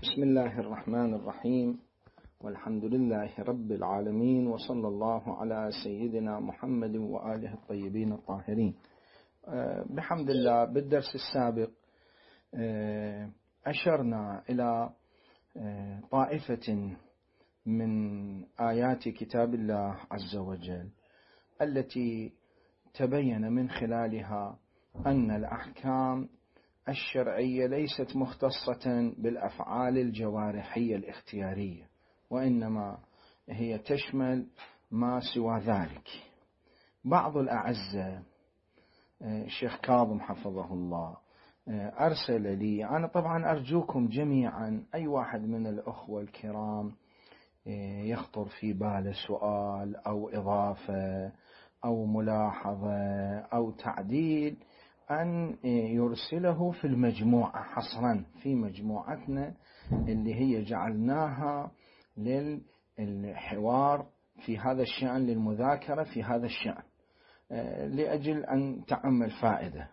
بسم الله الرحمن الرحيم، والحمد لله رب العالمين، وصلى الله على سيدنا محمد وآله الطيبين الطاهرين. بحمد الله بالدرس السابق أشرنا إلى طائفة من آيات كتاب الله عز وجل التي تبين من خلالها أن الأحكام الشرعية ليست مختصة بالأفعال الجوارحية الاختيارية، وإنما هي تشمل ما سوى ذلك. بعض الأعزة الشيخ كاظم حفظه الله أرسل لي، أنا طبعا أرجوكم جميعا أي واحد من الأخوة الكرام يخطر في باله سؤال أو إضافة أو ملاحظة أو تعديل أن يرسله في المجموعة حصرا في مجموعتنا اللي هي جعلناها للحوار في هذا الشأن، للمذاكرة في هذا الشأن، لأجل أن تعم الفائدة.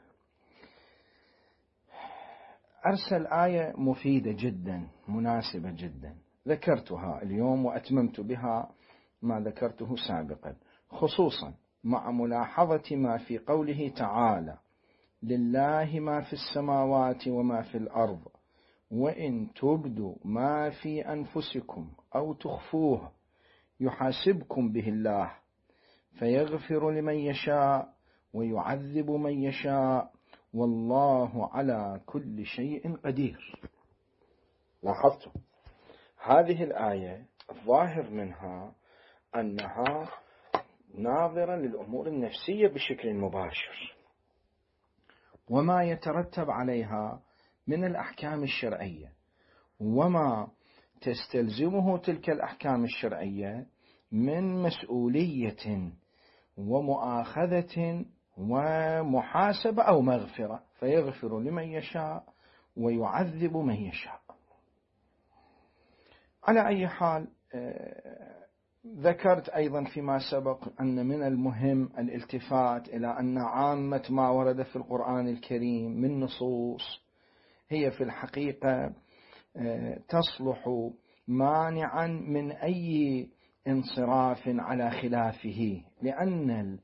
أرسل آية مفيدة جدا مناسبة جدا، ذكرتها اليوم وأتممت بها ما ذكرته سابقا، خصوصا مع ملاحظة ما في قوله تعالى: لله ما في السماوات وما في الأرض وإن تبدوا ما في أنفسكم أو تخفوه يحاسبكم به الله فيغفر لمن يشاء ويعذب من يشاء والله على كل شيء قدير. لاحظتم هذه الآية الظاهر منها أنها ناظرة للأمور النفسية بشكل مباشر وما يترتب عليها من الأحكام الشرعية وما تستلزمه تلك الأحكام الشرعية من مسؤولية ومؤاخذة ومحاسبة أو مغفرة، فيغفر لمن يشاء ويعذب من يشاء. على أي حال ذكرت أيضا فيما سبق أن من المهم الالتفات إلى أن عامة ما ورد في القرآن الكريم من نصوص هي في الحقيقة تصلح مانعا من أي انصراف على خلافه، لأن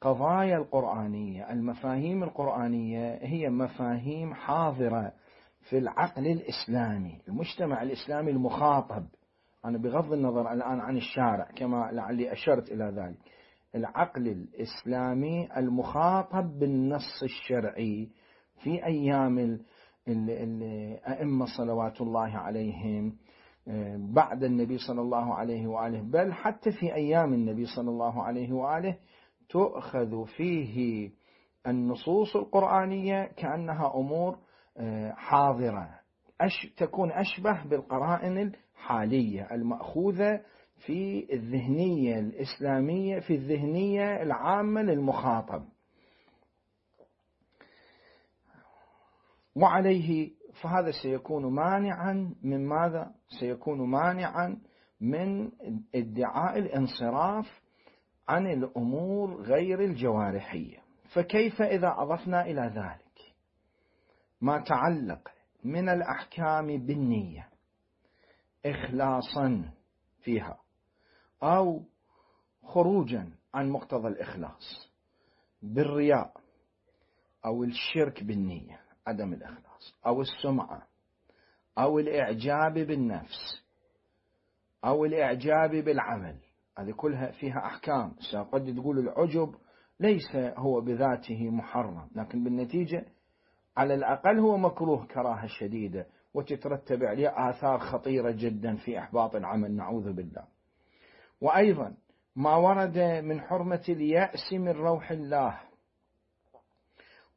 القضايا القرآنية المفاهيم القرآنية هي مفاهيم حاضرة في العقل الإسلامي، المجتمع الإسلامي المخاطب. أنا بغض النظر الآن عن الشارع كما لعلي أشرت إلى ذلك، العقل الإسلامي المخاطب بالنص الشرعي في أيام الأئمة صلوات الله عليهم بعد النبي صلى الله عليه وآله، بل حتى في أيام النبي صلى الله عليه وآله تؤخذ فيه النصوص القرآنية كأنها أمور حاضرة، تكون أشبه بالقرائن الحالية المأخوذة في الذهنية الإسلامية، في الذهنية العامة للمخاطب. وعليه فهذا سيكون مانعا من ماذا؟ سيكون مانعا من ادعاء الانصراف عن الأمور غير الجوارحية. فكيف إذا أضفنا إلى ذلك ما تعلق من الأحكام بالنية إخلاصا فيها أو خروجا عن مقتضى الإخلاص بالرياء أو الشرك بالنية عدم الإخلاص أو السمعة أو الإعجاب بالنفس أو الإعجاب بالعمل، هذه كلها فيها أحكام. قد تقول العجب ليس هو بذاته محرم، لكن بالنتيجة على الأقل هو مكروه كراهة شديدة وتترتب عليه آثار خطيرة جدا في إحباط العمل، نعوذ بالله. وأيضا ما ورد من حرمة اليأس من روح الله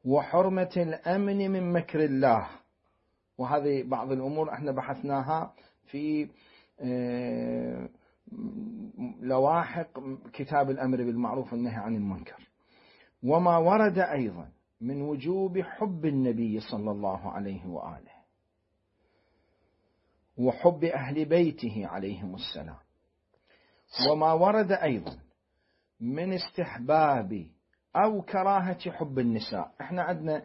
وحرمة الأمن من مكر الله، وهذه بعض الأمور احنا بحثناها في لواحق كتاب الأمر بالمعروف والنهي عن المنكر. وما ورد أيضا من وجوب حب النبي صلى الله عليه وآله وحب أهل بيته عليهم السلام، وما ورد أيضا من استحباب أو كراهة حب النساء. احنا عندنا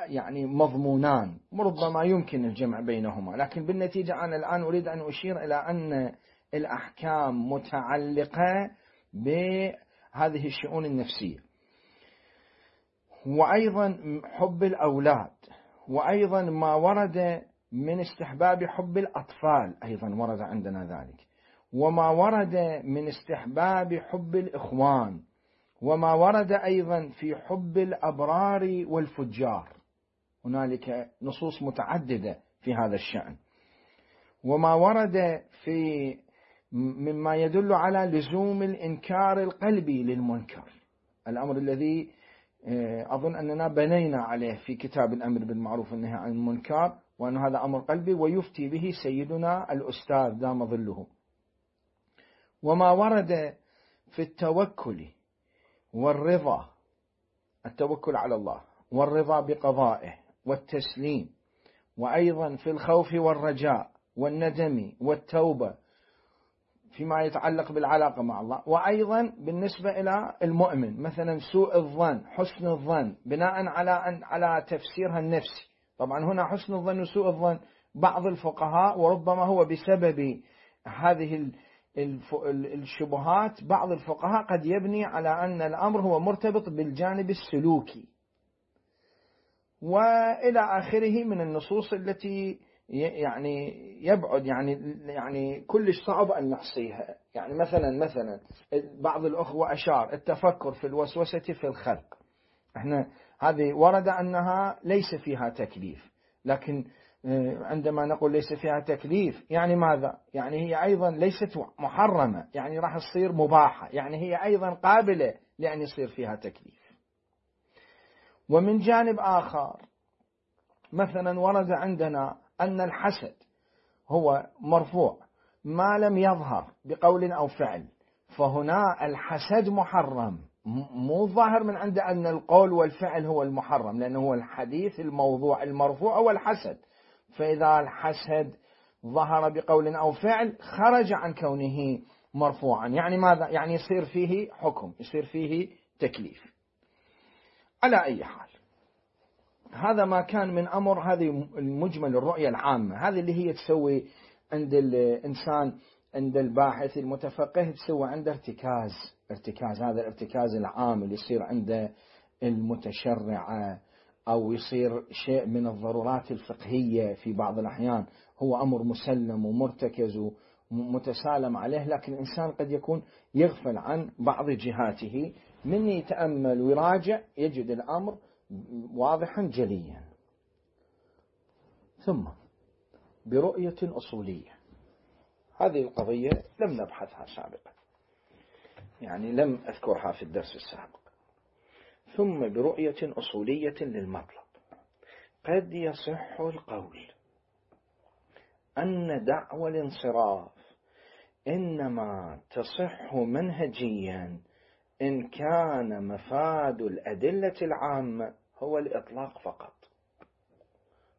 يعني مضمونان، ربما يمكن الجمع بينهما، لكن بالنتيجة أنا الآن أريد أن أشير إلى أن الأحكام متعلقة بهذه الشؤون النفسية، وأيضا حب الأولاد، وأيضا ما ورد من استحباب حب الأطفال أيضا ورد عندنا ذلك، وما ورد من استحباب حب الإخوان، وما ورد أيضا في حب الأبرار والفجار، هنالك نصوص متعددة في هذا الشأن، وما ورد في مما يدل على لزوم الإنكار القلبي للمنكر، الأمر الذي أظن أننا بنينا عليه في كتاب الأمر بالمعروف والنهي عن المنكر، وأن هذا أمر قلبي ويفتي به سيدنا الأستاذ دام ظله. وما ورد في التوكل والرضا، التوكل على الله والرضا بقضائه والتسليم، وأيضا في الخوف والرجاء والندم والتوبة فيما يتعلق بالعلاقة مع الله، وأيضا بالنسبة إلى المؤمن مثلا سوء الظن حسن الظن بناء على تفسيرها النفسي. طبعا هنا حسن الظن وسوء الظن بعض الفقهاء وربما هو بسبب هذه الشبهات بعض الفقهاء قد يبني على أن الأمر هو مرتبط بالجانب السلوكي وإلى آخره من النصوص التي يعني يبعد يعني كلش صعب أن نحصيها. يعني مثلا بعض الأخوة أشار التفكر في الوسوسة في الخلق، احنا هذه ورد أنها ليس فيها تكليف، لكن عندما نقول ليس فيها تكليف يعني ماذا؟ يعني هي أيضا ليست محرمة، يعني راح تصير مباحة، يعني هي أيضا قابلة لأن يصير فيها تكليف. ومن جانب آخر مثلا ورد عندنا أن الحسد هو مرفوع ما لم يظهر بقول أو فعل، فهنا الحسد محرم، مو ظاهر من عند أن القول والفعل هو المحرم، لأنه هو الحديث الموضوع المرفوع هو الحسد، فإذا الحسد ظهر بقول أو فعل خرج عن كونه مرفوعا، يعني ماذا؟ يعني يصير فيه حكم، يصير فيه تكليف. على أي حال هذا ما كان من أمر هذه المجمل الرؤية العامة، هذه اللي هي تسوي عند الإنسان عند الباحث المتفقه تسوي عنده ارتكاز، هذا الارتكاز العام اللي يصير عند المتشرع أو يصير شيء من الضرورات الفقهية في بعض الأحيان، هو أمر مسلم ومرتكز ومتسالم عليه، لكن الإنسان قد يكون يغفل عن بعض جهاته، من يتأمل ويراجع يجد الأمر واضحا جليا. ثم برؤية أصولية، هذه القضية لم نبحثها سابقا، يعني لم أذكرها في الدرس السابق. ثم برؤية أصولية للمطلب، قد يصح القول أن دعوى الانصراف إنما تصح منهجيا إن كان مفاد الأدلة العامة هو الإطلاق فقط.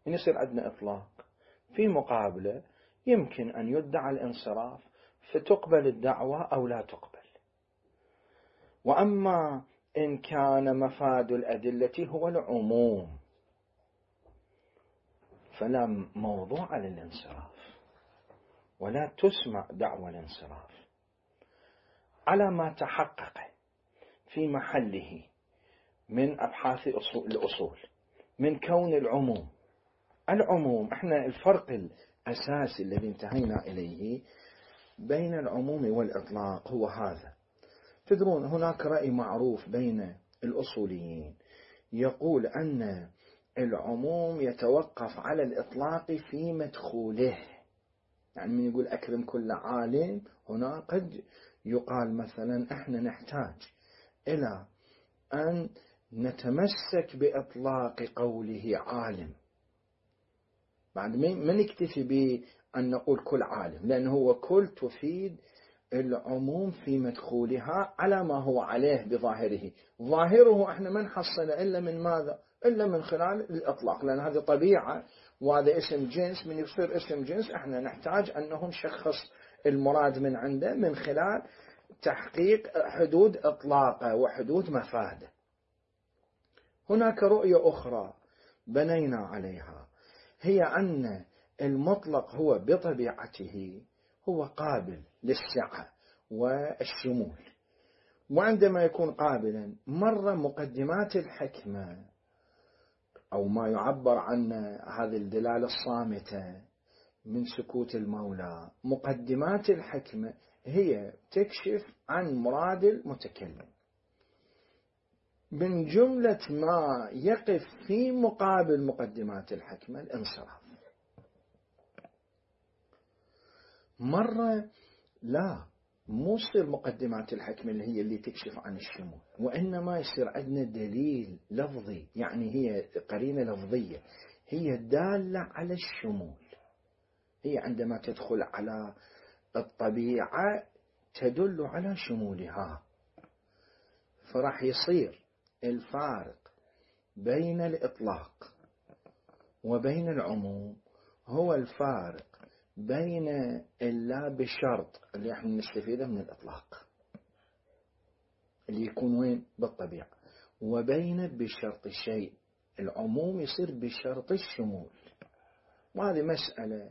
يصير عندنا إطلاق في مقابلة يمكن أن يدعى الانصراف فتقبل الدعوة أو لا تقبل. وأما إن كان مفاد الأدلة هو العموم فلا موضوع للانصراف ولا تسمع دعوى الانصراف على ما تحقق في محله من أبحاث الأصول من كون العموم احنا الفرق الأساسي الذي انتهينا إليه بين العموم والإطلاق هو هذا. تدرون هناك رأي معروف بين الأصوليين يقول أن العموم يتوقف على الإطلاق في مدخوله، يعني من يقول أكرم كل عالم هنا قد يقال مثلا احنا نحتاج إلى أن نتمسك بإطلاق قوله عالم، بعد ما نكتفي بأن نقول كل عالم، لأنه هو كل تفيد العموم في مدخولها على ما هو عليه بظاهره، ظاهره احنا ما نحصل إلا من ماذا؟ إلا من خلال الإطلاق، لأن هذه طبيعة وهذا اسم جنس، من يصير اسم جنس احنا نحتاج أنه نشخص المراد من عنده من خلال تحقيق حدود إطلاقه وحدود مفاده. هناك رؤية أخرى بنينا عليها هي أن المطلق هو بطبيعته هو قابل للسعة والشمول، وعندما يكون قابلا مرة مقدمات الحكمة أو ما يعبر عن هذه الدلالة الصامتة من سكوت المولى، مقدمات الحكمة هي تكشف عن مراد المتكلم. من جملة ما يقف في مقابل مقدمات الحكمة الانصراف. مرة لا، مو يصير مقدمات الحكمة اللي هي اللي تكشف عن الشمول، وإنما يصير عندنا دليل لفظي، يعني هي قرينة لفظية هي دالة على الشمول. هي عندما تدخل على الطبيعة تدل على شمولها. فراح يصير الفارق بين الإطلاق وبين العموم هو الفارق بين اللا بشرط اللي احنا نستفيده من الإطلاق اللي يكون وين بالطبيعة، وبين بشرط الشيء. العموم يصير بشرط الشمول، وهذه مسألة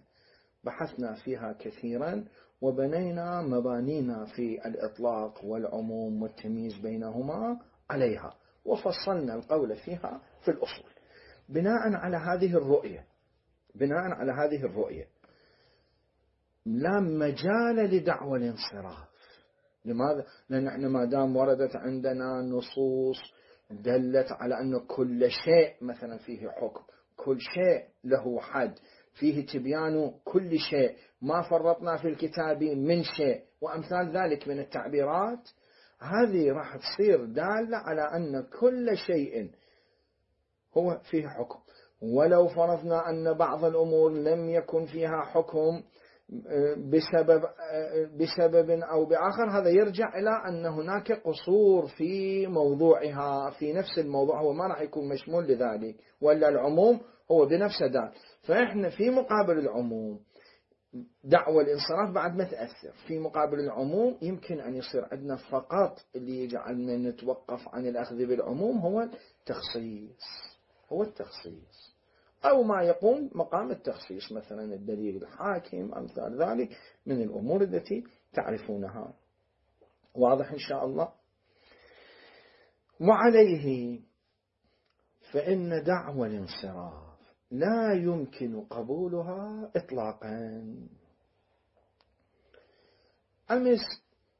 بحثنا فيها كثيرا وبنينا مبانينا في الإطلاق والعموم والتمييز بينهما عليها، وفصلنا القول فيها في الأصول بناء على هذه الرؤية. لا مجال لدعوى الانصراف. لماذا؟ لأن احنا ما دام وردت عندنا نصوص دلت على أن كل شيء مثلا فيه حكم، كل شيء له حد، فيه تبيان كل شيء، ما فرطنا في الكتاب من شيء، وأمثال ذلك من التعبيرات، هذه راح تصير دالة على أن كل شيء هو فيه حكم. ولو فرضنا أن بعض الأمور لم يكن فيها حكم بسبب أو بآخر، هذا يرجع إلى أن هناك قصور في موضوعها، في نفس الموضوع هو ما راح يكون مشمول لذلك، ولا العموم هو بنفسه دال. فإحنا في مقابل العموم دعوة الانصراف بعد ما تأثر، في مقابل العموم يمكن أن يصير عندنا فقط اللي يجعلنا نتوقف عن الأخذ بالعموم هو التخصيص أو ما يقوم مقام التخصيص، مثلا الدليل الحاكم أمثال ذلك من الأمور التي تعرفونها. واضح إن شاء الله؟ وعليه فإن دعوى الانصراف لا يمكن قبولها إطلاقا. أمس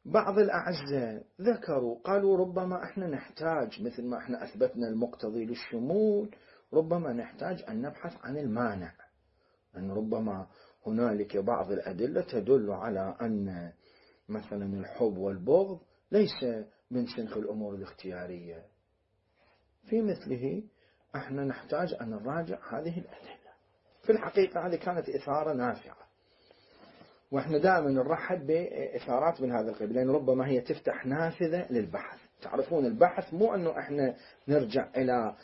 بعض الأعزاء ذكروا قالوا ربما احنا نحتاج، مثل ما احنا أثبتنا المقتضي للشمول، ربما نحتاج أن نبحث عن المانع، أن ربما هنالك بعض الأدلة تدل على أن مثلا الحب والبغض ليس من صنف الأمور الاختيارية. في مثله احنا نحتاج أن نراجع هذه الأدلة. في الحقيقة هذه كانت إثارة نافعة، واحنا دائما نرحب بإثارات من هذا القبيل، لأن ربما هي تفتح نافذة للبحث. تعرفون البحث مو أنه احنا نرجع إلى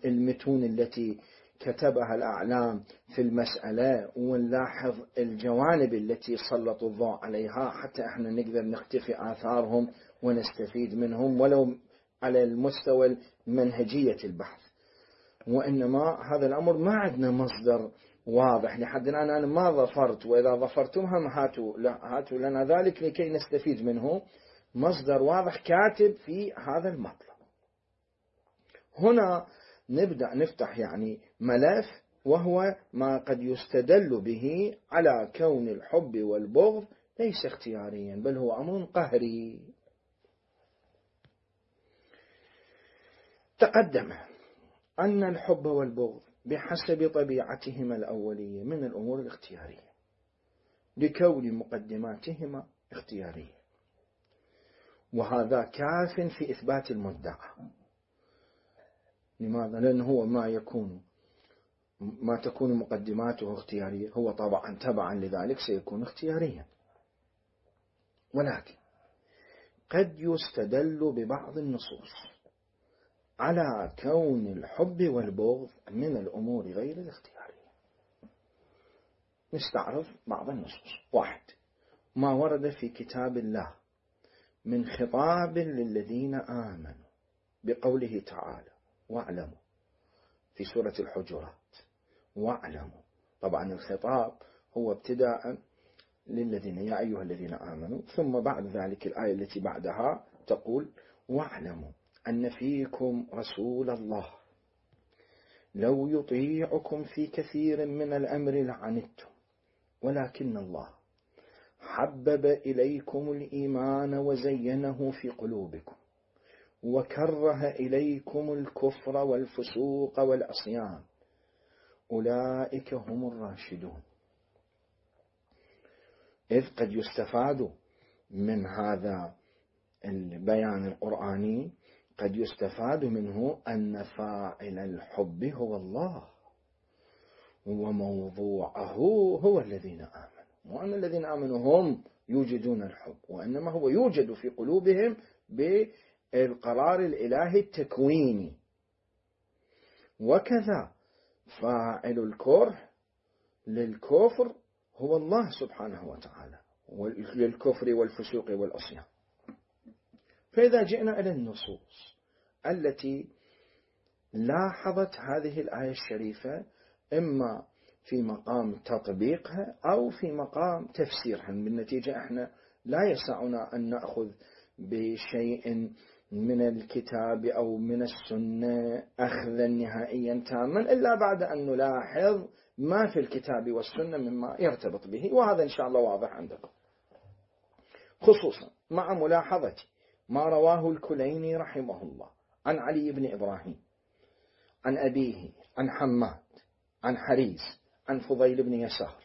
المتون التي كتبها الأعلام في المسألة ونلاحظ الجوانب التي سلطوا الضوء عليها حتى احنا نقدر نختفي آثارهم ونستفيد منهم ولو على المستوى منهجية البحث. وإنما هذا الأمر ما عندنا مصدر واضح لحد الآن. أنا ما ظفرت، وإذا ظفرتم هم هاتوا لنا ذلك لكي نستفيد منه. مصدر واضح كاتب في هذا المطلب. هنا نبدأ نفتح يعني ملف، وهو ما قد يستدل به على كون الحب والبغض ليس اختياريا بل هو أمر قهري. تقدم أن الحب والبغض بحسب طبيعتهما الأولية من الأمور الاختيارية لكون مقدماتهما اختيارية، وهذا كاف في إثبات المدعى. لماذا؟ لأنه هو ما تكون مقدماته اختيارية هو طبعا تبعا لذلك سيكون اختياريا، ولكن قد يستدل ببعض النصوص على كون الحب والبغض من الأمور غير الاختيارية. نستعرض بعض النصوص. 1. ما ورد في كتاب الله من خطاب للذين آمنوا بقوله تعالى: واعلموا في سورة الحجرات. واعلموا، طبعا الخطاب هو ابتداء للذين يا أيها الذين آمنوا، ثم بعد ذلك الآية التي بعدها تقول واعلموا أن فيكم رسول الله لو يطيعكم في كثير من الأمر لعنتم ولكن الله حبب إليكم الإيمان وزينه في قلوبكم وكره إليكم الكفر والفسوق والعصيان أولئك هم الراشدون. إذ قد يستفاد من هذا البيان القرآني، قد يستفاد منه أن فاعل الحب هو الله، وموضوعه هو الذين آمنوا، وأن الذين آمنوا هم يوجدون الحب، وإنما هو يوجد في قلوبهم بالقرار الإلهي التكويني. وكذا فاعل الكره للكفر هو الله سبحانه وتعالى، للكفر والفسوق والعصيان. فإذا جئنا إلى النصوص التي لاحظت هذه الآية الشريفة إما في مقام تطبيقها أو في مقام تفسيرها، بالنتيجة احنا لا يسعنا أن نأخذ بشيء من الكتاب أو من السنة أخذا نهائيا تاما إلا بعد أن نلاحظ ما في الكتاب والسنة مما يرتبط به، وهذا إن شاء الله واضح عندكم، خصوصا مع ملاحظة ما رواه الكليني رحمه الله عن علي بن إبراهيم عن أبيه عن حماد عن حريز عن فضيل بن يسار،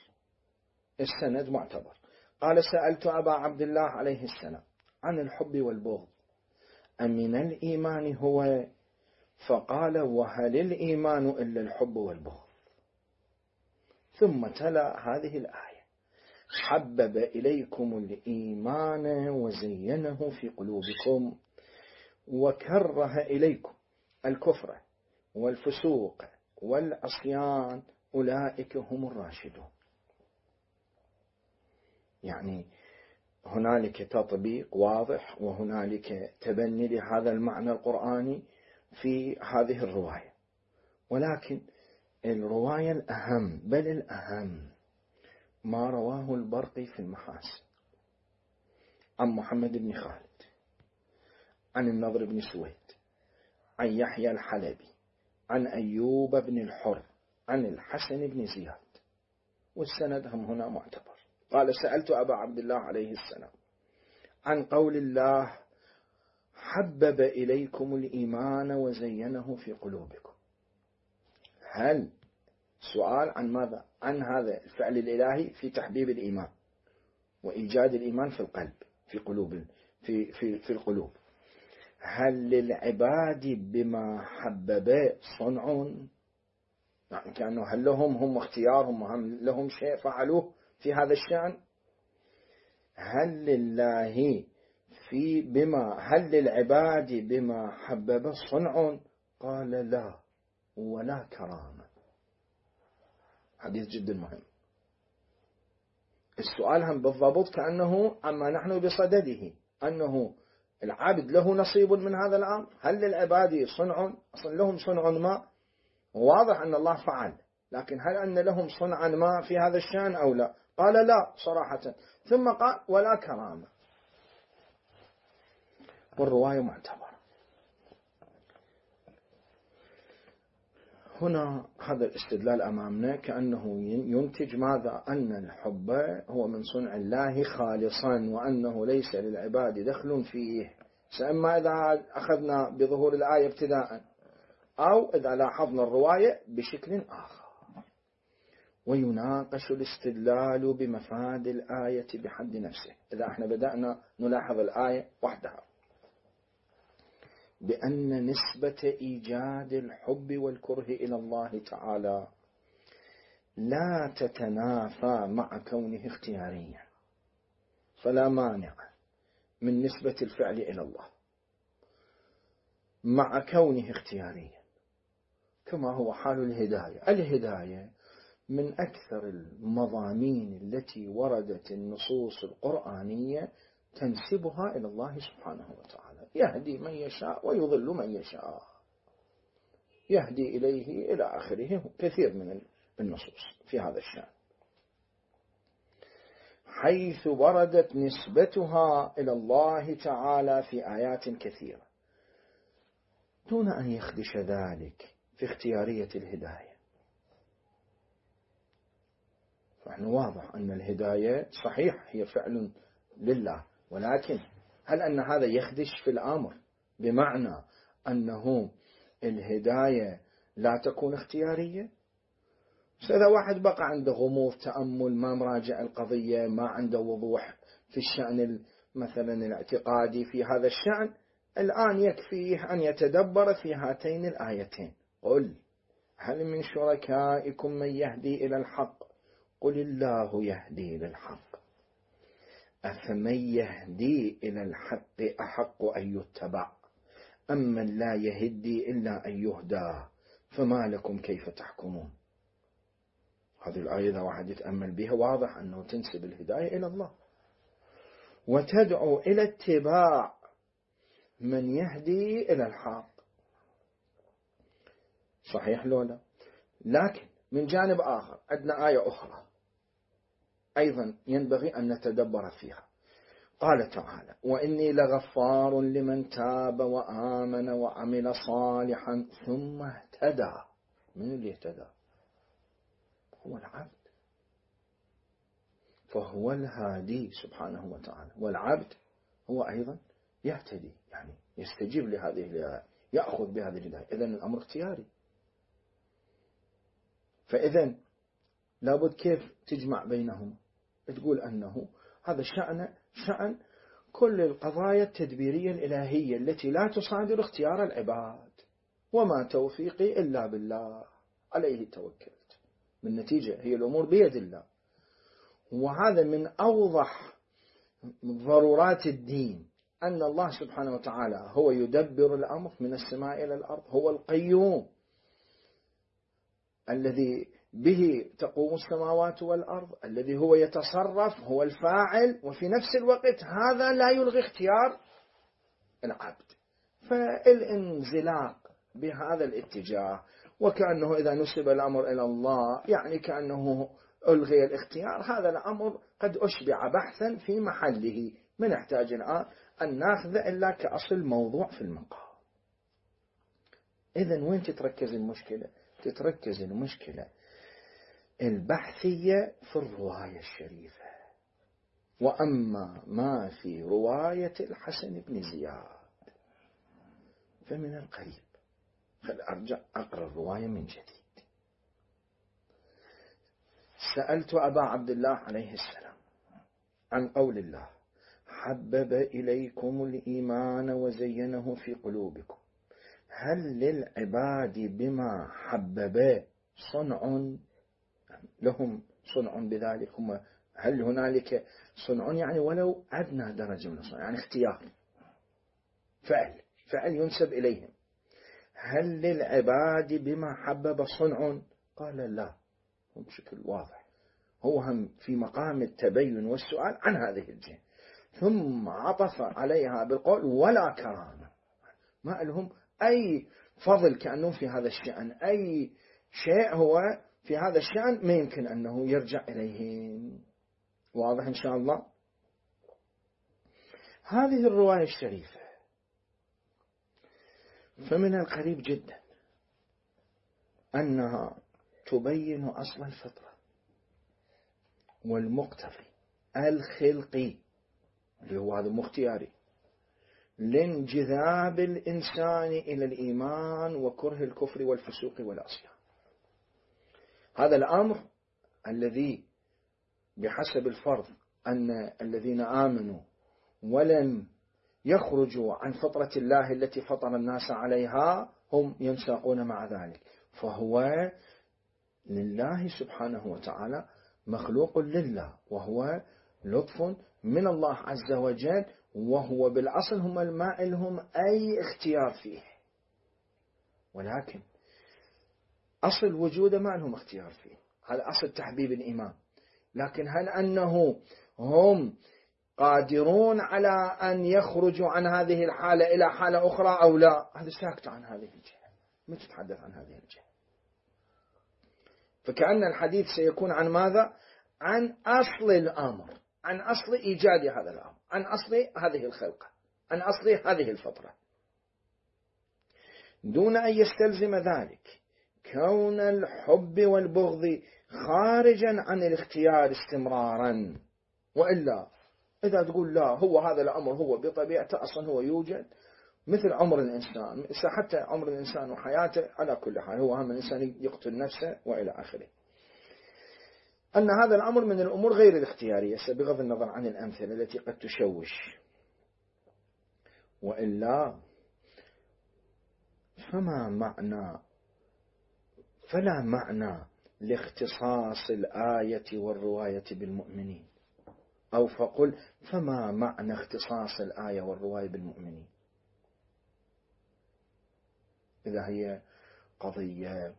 السند معتبر. قال سألت أبا عبد الله عليه السلام عن الحب والبغض أمن الإيمان هو؟ فقال وهل الإيمان إلا الحب والبغض؟ ثم تلا هذه الآية حبب إليكم الإيمان وزينه في قلوبكم وكره إليكم الكفر والفسوق والعصيان أولئك هم الراشدون. يعني هنالك تطبيق واضح وهنالك تبني لهذا المعنى القرآني في هذه الرواية، ولكن الرواية الأهم بل الأهم ما رواه البرقي في المحاسن عن محمد بن خالد عن النضر بن سويد عن يحيى الحلبي عن أيوب بن الحر عن الحسن بن زياد، والسند هم هنا معتبر. قال سألت أبا عبد الله عليه السلام عن قول الله حبب إليكم الإيمان وزينه في قلوبكم، هل سؤال عن ماذا؟ عن هذا الفعل الإلهي في تحبيب الإيمان وإيجاد الإيمان في القلب في قلوب في القلوب، هل للعباد بما حبب صنع؟ يعني كأنه هل هم اختيارهم وهم لهم شيء فعلوه في هذا الشأن؟ هل لله هل للعباد بما حبب صنع؟ قال لا ولا كرامة. حديث جدا مهم. السؤال هم بالضبط كأنه عما نحن بصدده، أنه العبد له نصيب من هذا الأمر. هل للعباد صنع؟ أصلا لهم صنع ما، واضح أن الله فعل، لكن هل أن لهم صنعا ما في هذا الشأن أو لا؟ قال لا صراحة، ثم قال ولا كرامة، والرواية معتبرة. هنا هذا الاستدلال أمامنا كأنه ينتج ماذا؟ أن الحب هو من صنع الله خالصا، وأنه ليس للعباد دخل فيه، سأما إذا أخذنا بظهور الآية ابتداء أو إذا لاحظنا الرواية بشكل آخر. ويناقش الاستدلال بمفاد الآية بحد نفسه. إذا احنا بدأنا نلاحظ الآية وحدها بأن نسبة إيجاد الحب والكره إلى الله تعالى لا تتنافى مع كونه اختياريا، فلا مانع من نسبة الفعل إلى الله مع كونه اختياريا، كما هو حال الهداية. الهداية من أكثر المضامين التي وردت النصوص القرآنية تنسبها إلى الله سبحانه وتعالى، يهدي من يشاء ويضل من يشاء. يهدي إليه إلى آخره، كثير من النصوص في هذا الشأن، حيث وردت نسبتها إلى الله تعالى في آيات كثيرة دون أن يخدش ذلك في اختيارية الهداية. فإحنا واضح أن الهداية صحيح هي فعل لله، ولكن هل أن هذا يخدش في الأمر بمعنى أنه الهداية لا تكون اختيارية؟ إذا واحد بقى عنده غموض تأمل، ما مراجع القضية، ما عنده وضوح في الشأن مثلا الاعتقادي في هذا الشأن، الآن يكفيه أن يتدبر في هاتين الآيتين: قل هل من شركائكم من يهدي إلى الحق قل الله يهدي للحق أفمن يهدي إلى الحق أحق أن يتبع أمن لا يهدي إلا أن يهدى فما لكم كيف تحكمون. هذه الآية إذا واحد يتأمل بها واضح أنه تنسب الهداية إلى الله وتدعو إلى اتباع من يهدي إلى الحق. صحيح لولا؟ لكن من جانب آخر عندنا آية أخرى أيضا ينبغي أن نتدبر فيها. قال تعالى: وإني لغفار لمن تاب وآمن وعمل صالحا ثم اهتدى. من اللي اهتدى؟ هو العبد، فهو الهادي سبحانه وتعالى، والعبد هو أيضا يهتدي، يعني يستجيب لهذه الهداية، يأخذ بهذه الهداية. إذن الأمر اختياري. فإذن لابد كيف تجمع بينهم؟ تقول أنه هذا شأن كل القضايا التدبيرية الإلهية التي لا تصادر اختيار العباد، وما توفيقي إلا بالله عليه توكلت. من نتيجة هي الأمور بيد الله، وهذا من أوضح ضرورات الدين، أن الله سبحانه وتعالى هو يدبر الأمر من السماء إلى الأرض، هو القيوم الذي به تقوم السماوات والأرض، الذي هو يتصرف، هو الفاعل، وفي نفس الوقت هذا لا يلغي اختيار العبد. فالانزلاق بهذا الاتجاه وكأنه إذا نسب الأمر إلى الله يعني كأنه ألغي الاختيار، هذا الأمر قد أشبع بحثا في محله، ما نحتاج الآن أن ناخذ إلا كأصل موضوع في المقام. إذن وين تتركز المشكلة؟ تتركز المشكلة البحثية في الرواية الشريفة، وأما ما في رواية الحسن بن زياد فمن القريب. خل أرجع أقرأ الرواية من جديد. سألت أبا عبد الله عليه السلام عن قول الله: حبب إليكم الإيمان وزينه في قلوبكم، هل للعباد بما حبب صنع؟ لهم صنع بذلك، هم هل هنالك صنع يعني ولو أدنى درجة من الصنع، يعني اختيار، فعل ينسب إليهم. هل للعباد بما حبب صنع؟ قال لا، بشكل واضح هو هم في مقام التبين والسؤال عن هذه الجهة، ثم عطف عليها بالقول ولا كرامة، ما لهم أي فضل كأنه في هذا الشأن، أي شيء هو في هذا الشأن ما يمكن أنه يرجع إليهم. واضح إن شاء الله؟ هذه الرواية الشريفة فمن القريب جدا أنها تبين أصل الفطرة والمقتضي الخلقي اللي هو هذا مختياري لانجذاب الإنسان إلى الإيمان وكره الكفر والفسوق والعصيان. هذا الأمر الذي بحسب الفرض أن الذين آمنوا ولم يخرجوا عن فطرة الله التي فطر الناس عليها هم ينساقون مع ذلك، فهو لله سبحانه وتعالى، مخلوق لله، وهو لطف من الله عز وجل، وهو بالأصل هم الماء لهم أي اختيار فيه، ولكن أصل وجوده ما لهم اختيار فيه، هذا أصل تحبيب الإيمان. لكن هل أنه هم قادرون على أن يخرجوا عن هذه الحالة إلى حالة أخرى أو لا؟ هذا ساكت عن هذه الجهة، ما تتحدث عن هذه الجهة. فكأن الحديث سيكون عن ماذا؟ عن أصل الأمر، عن أصل إيجاد هذا الأمر، عن أصل هذه الخلقة، عن أصل هذه الفطرة، دون أن يستلزم ذلك كون الحب والبغض خارجا عن الاختيار استمرارا. وإلا إذا تقول لا، هو هذا الأمر هو بطبيعته أصلا هو يوجد مثل عمر الإنسان، حتى عمر الإنسان وحياته على كل حال، هو هم الإنسان يقتل نفسه وإلى آخره، أن هذا الأمر من الأمور غير الاختيارية بغض النظر عن الأمثلة التي قد تشوش. وإلا فلا معنى لاختصاص الآية والرواية بالمؤمنين، أو فقل فما معنى اختصاص الآية والرواية بالمؤمنين إذا هي قضية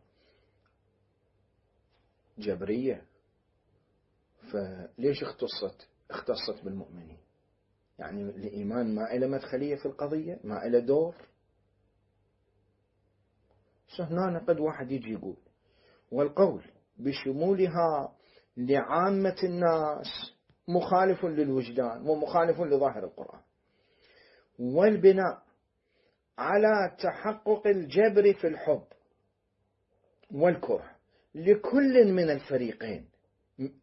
جبرية، فليش اختصت بالمؤمنين؟ يعني الإيمان ما إلى مدخلية في القضية، ما إلى دور. هنا قد واحد يجي يقول والقول بشمولها لعامة الناس مخالف للوجدان ومخالف لظاهر القرآن، والبناء على تحقق الجبر في الحب والكره لكل من الفريقين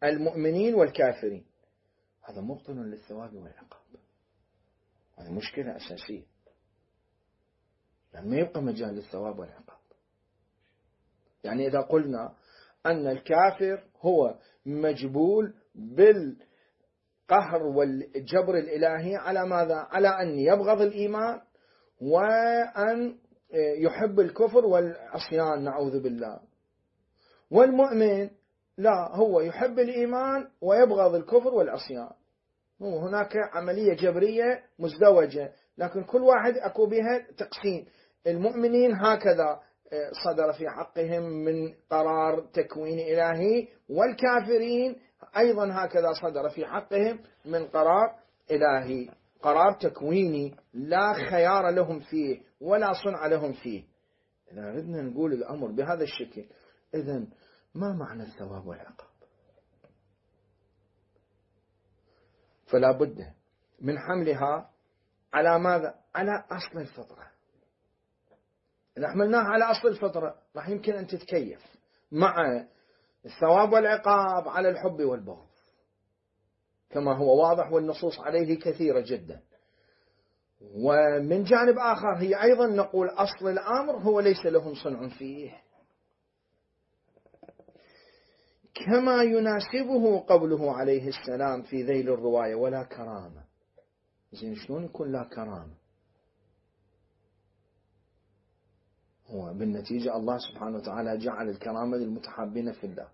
المؤمنين والكافرين، هذا مبطل للثواب والعقاب. هذه مشكلة أساسية، يعني ما يبقى مجال للثواب والعقاب. يعني إذا قلنا أن الكافر هو مجبول بالقهر والجبر الإلهي على ماذا؟ على أن يبغض الإيمان وأن يحب الكفر والعصيان نعوذ بالله، والمؤمن لا، هو يحب الإيمان ويبغض الكفر والعصيان. هناك عملية جبرية مزدوجة، لكن كل واحد أكو بها تقسيم. المؤمنين هكذا صدر في حقهم من قرار تكوين إلهي، والكافرين أيضا هكذا صدر في حقهم من قرار إلهي، قرار تكويني لا خيار لهم فيه ولا صنع لهم فيه. إذا أردنا نقول الأمر بهذا الشكل، إذن ما معنى الثواب والعقاب؟ فلا بد من حملها على ماذا؟ على أصل الفطرة. إذا حملناها على أصل الفطرة راح يمكن أن تتكيف مع الثواب والعقاب على الحب والبغض كما هو واضح، والنصوص عليه كثيرة جدا. ومن جانب آخر هي أيضا نقول أصل الأمر هو ليس لهم صنع فيه، كما يناسبه قوله عليه السلام في ذيل الرواية ولا كرامة. زين، شلون يكون لا كرامة؟ هو بالنتيجة الله سبحانه وتعالى جعل الكرامة للمتحابين في الله،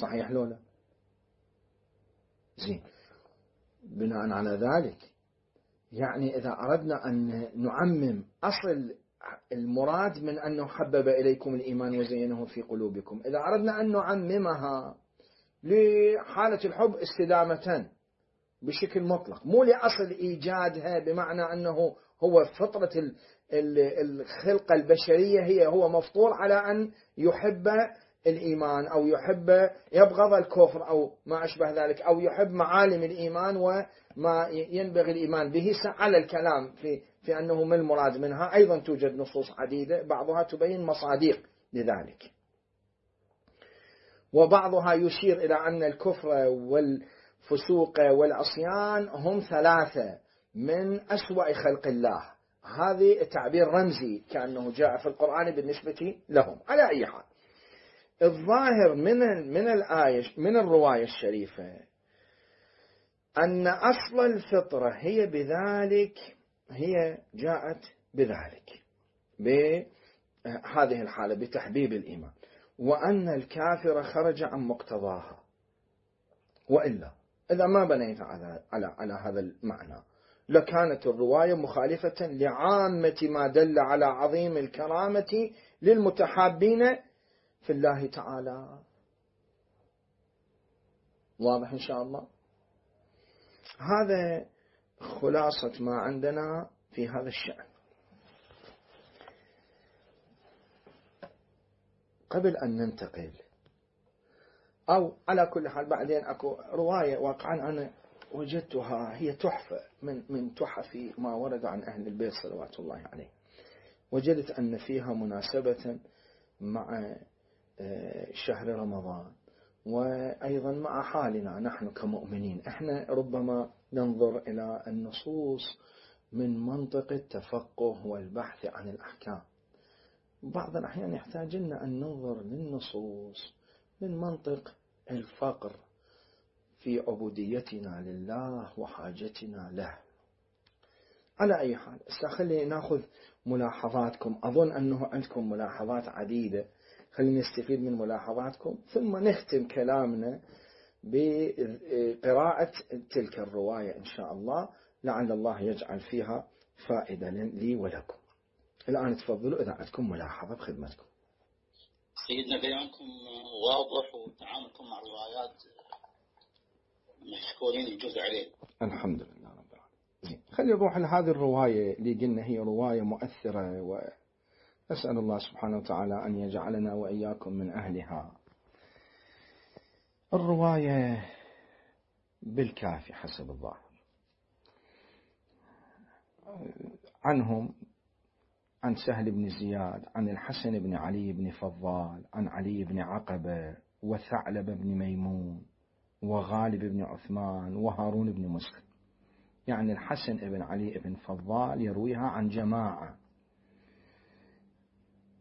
صحيح لولا؟ زين، بناء على ذلك يعني إذا أردنا أن نعمم أصل المراد من أنه حبب إليكم الإيمان وزينه في قلوبكم، إذا أردنا أن نعممها لحالة الحب استدامة بشكل مطلق، مو لأصل إيجادها بمعنى أنه هو فطرة الخلقة البشرية، هو مفطور على أن يحب الإيمان أو يبغض الكفر أو ما أشبه ذلك، أو يحب معالم الإيمان وما ينبغي الإيمان به. على الكلام في أنه ما المراد منها، أيضا توجد نصوص عديدة بعضها تبين مصادق لذلك، وبعضها يشير إلى أن الكفر والفسوق والعصيان هم ثلاثة من أسوأ خلق الله. هذه تعبير رمزي كأنه جاء في القرآن بالنسبة لهم. على أي حال، الظاهر من الآية من الرواية الشريفة أن أصل الفطرة هي جاءت بذلك، بهذه الحالة بتحبيب الإيمان، وأن الكافر خرج عن مقتضاها. وإلا إذا ما بنيت على هذا المعنى لكانت الرواية مخالفة لعامة ما دل على عظيم الكرامة للمتحابين في الله تعالى. واضح إن شاء الله؟ هذا خلاصة ما عندنا في هذا الشأن. قبل أن ننتقل، أو على كل حال بعدين أكو رواية واقعا أنا وجدتها هي تحفة من تحف ما ورد عن أهل البيت صلوات الله عليه. وجدت أن فيها مناسبة مع شهر رمضان، وأيضا مع حالنا نحن كمؤمنين. احنا ربما ننظر إلى النصوص من منطق التفقه والبحث عن الأحكام. بعض الأحيان يحتاج لنا أن ننظر للنصوص من منطق الفقر في عبوديتنا لله وحاجتنا له. على أي حال خلينا نأخذ ملاحظاتكم، أظن أنه عندكم ملاحظات عديدة، خلينا نستفيد من ملاحظاتكم ثم نختم كلامنا بقراءة تلك الرواية إن شاء الله، لعل الله يجعل فيها فائدة لي ولكم. الآن تفضلوا إذا عندكم ملاحظة بخدمتكم. سيدنا بيانكم واضح وتعاملكم مع الروايات مشكورين الجزء عليه. الحمد لله رب العالمين. خلينا نروح لهذه الرواية اللي قلنا هي رواية مؤثرة، وأسأل الله سبحانه وتعالى أن يجعلنا وإياكم من أهلها. الرواية بالكافي حسب الظاهر عنهم، عن سهل بن زياد، عن الحسن بن علي بن فضال، عن علي بن عقبة، وثعلب بن ميمون، وغالب بن عثمان، وهارون بن مسلم. يعني الحسن بن علي بن فضال يرويها عن جماعة،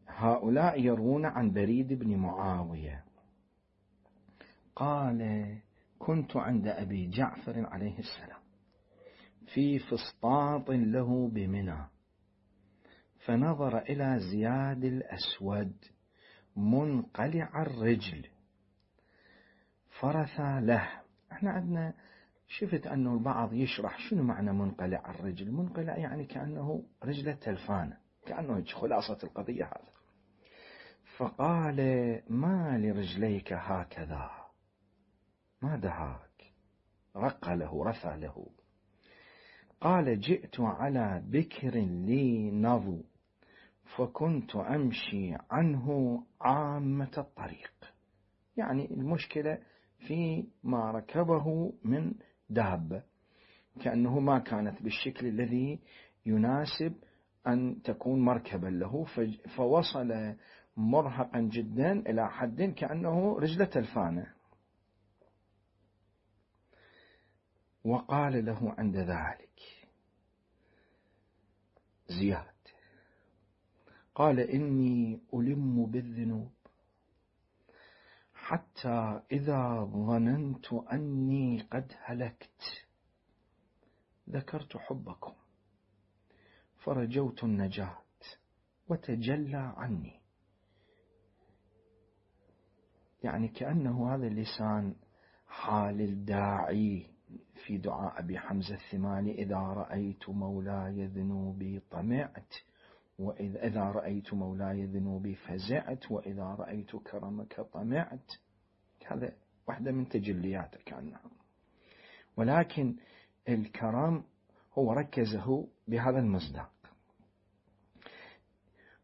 هؤلاء يروون عن بريد بن معاوية قال: كنت عند أبي جعفر عليه السلام في فسطاط له بمنى، فنظر إلى زياد الأسود منقلع الرجل فرثى له. احنا عندنا شفت أنه البعض يشرح شنو معنى منقلع الرجل. منقلع يعني كأنه رجله تلفانة، كأنه خلاصة القضية هذا. فقال: ما لرجليك هكذا؟ ما دهاك؟ رق له، رثى له. قال: جئت على بكر لي نضو فكنت أمشي عنه عامة الطريق. يعني المشكلة في ما ركبه من دابة، كأنه ما كانت بالشكل الذي يناسب أن تكون مركبا له، فوصل مرهقا جدا إلى حد كأنه رجلة الفانة. وقال له عند ذلك زياد، قال: إني ألم بالذنوب حتى إذا ظننت أني قد هلكت ذكرت حبكم فرجوت النجاة وتجلى عني. يعني كأنه هذا اللسان حال الداعي في دعاء أبي حمزة الثمالي: إذا رأيت مولاي ذنوبي طمعت، وإذا رأيت مولاي ذنوبي فزعت، وإذا رأيت كرمك طمعت. هذا واحدة من تجلياته كأنها، ولكن الكرم هو ركزه بهذا المصداق.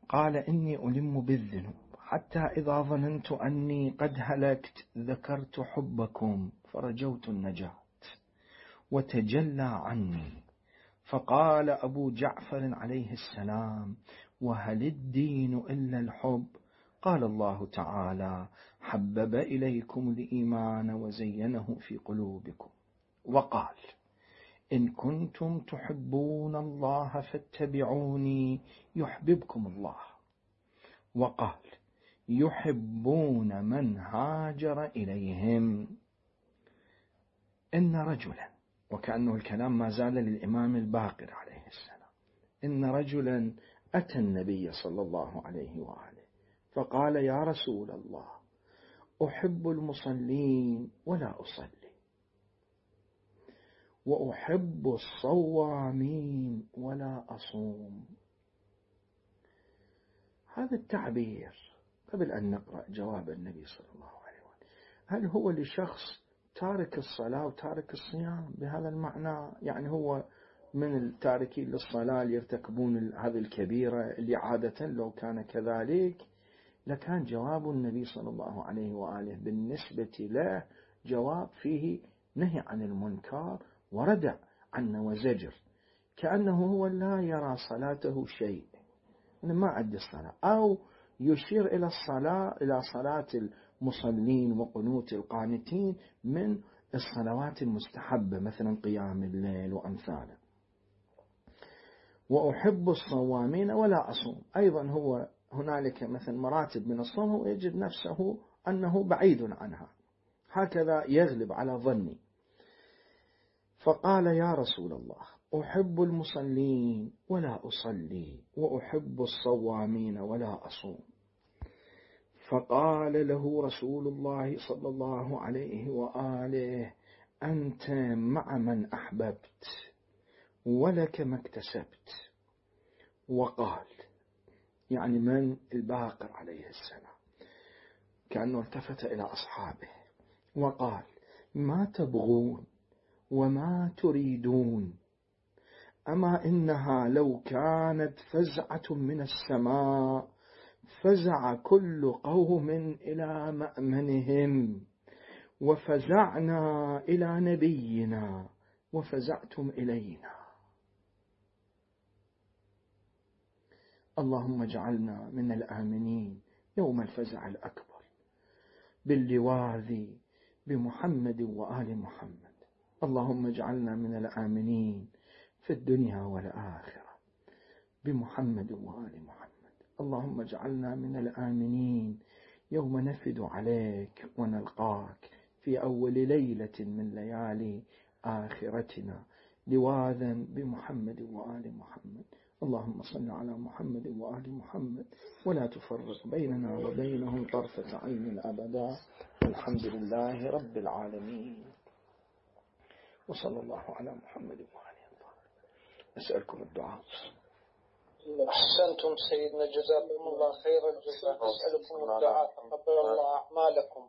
قال: إني ألم بالذنوب حتى إذا ظننت أني قد هلكت ذكرت حبكم فرجوت النجاة وتجلى عني. فقال أبو جعفر عليه السلام: وهل الدين إلا الحب؟ قال الله تعالى: حبب إليكم الإيمان وزينه في قلوبكم. وقال: إن كنتم تحبون الله فاتبعوني يحببكم الله. وقال: يحبون من هاجر إليهم. إن رجلا، وكأنه الكلام ما زال للإمام الباقر عليه السلام، إن رجلا أتى النبي صلى الله عليه وآله فقال: يا رسول الله، أحب المصلين ولا أصلي، وأحب الصوامين ولا أصوم. هذا التعبير قبل أن نقرأ جواب النبي صلى الله عليه وآله، هل هو لشخص تارك الصلاة وتارك الصيام بهذا المعنى؟ يعني هو من التاركين للصلاة اللي يرتكبون هذه الكبيرة اللي عادة لو كان كذلك لكان جواب النبي صلى الله عليه وآله بالنسبة له جواب فيه نهي عن المنكر وردع عنه وزجر، كأنه هو لا يرى صلاته شيء، أنا ما عندي الصلاة، أو يشير إلى الصلاة، إلى صلاة المصلين وقنوت القانتين من الصلوات المستحبة مثلا قيام الليل وأمثاله. وأحب الصوامين ولا أصوم، أيضا هو هنالك مثلا مراتب من الصوم ويجد نفسه أنه بعيد عنها، هكذا يغلب على ظني. فقال يا رسول الله أحب المصلين ولا أصلي، وأحب الصوامين ولا أصوم. فقال له رسول الله صلى الله عليه وآله أنت مع من أحببت ولك ما اكتسبت. وقال يعني من الباقر عليه السلام، كأنه التفت إلى أصحابه وقال ما تبغون وما تريدون، أما إنها لو كانت فزعة من السماء فزع كل قوم إلى مأمنهم، وفزعنا إلى نبينا وفزعتم إلينا. اللهم اجعلنا من الآمنين يوم الفزع الأكبر باللواذ بمحمد وآل محمد. اللهم اجعلنا من الآمنين في الدنيا والآخرة بمحمد وآل محمد. اللهم اجعلنا من الآمنين يوم نفد عليك ونلقاك في أول ليلة من ليالي آخرتنا لواذا بمحمد وآل محمد. اللهم صل على محمد وآل محمد ولا تفرق بيننا وبينهم طرفة عين أبدا. والحمد لله رب العالمين، وصلى الله على محمد وآله الطاهرين. أسألكم الدعاء. أحسنتم سيدنا، جزاكم الله خير الجزاء. أسألكم الدعاء، تقبل الله أعمالكم.